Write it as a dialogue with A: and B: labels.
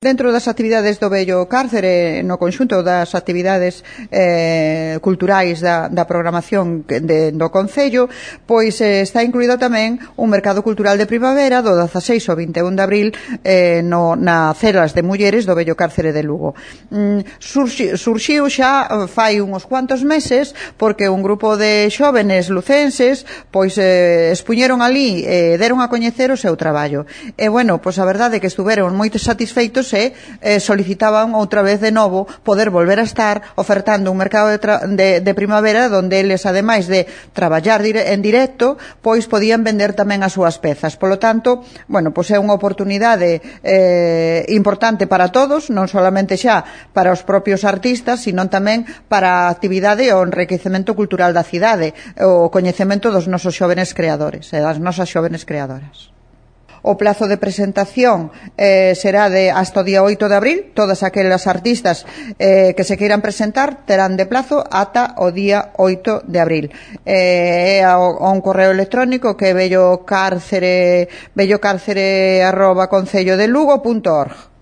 A: Dentro das actividades do Vello Cárcere, no conxunto das actividades culturais da programación do Concello, pois está incluído tamén un mercado cultural de primavera do 16 ao 21 de abril na Celas de Mulleres do Vello Cárcere de Lugo. Surxiu xa fai uns cuantos meses porque un grupo de xóvenes lucenses pois expuñeron ali e deron a coñecer o seu traballo. E, bueno, pois a verdade é que estuveron moito satisfeitos e solicitaban outra vez de novo poder volver a estar ofertando un mercado de primavera donde eles, ademais de traballar en directo, pois podían vender tamén as súas pezas. Polo tanto, bueno, pois é unha oportunidade importante para todos, non solamente xa para os propios artistas, sino tamén para a actividade e o enriquecemento cultural da cidade, o coñecemento dos nosos xóvenes creadores e das nosas xóvenes creadoras. O plazo de presentación será hasta o día 8 de abril. Todas aquelas artistas que se queiran presentar terán de plazo ata o día 8 de abril. Un correo electrónico que é bellocárcere@concellodelugo.org.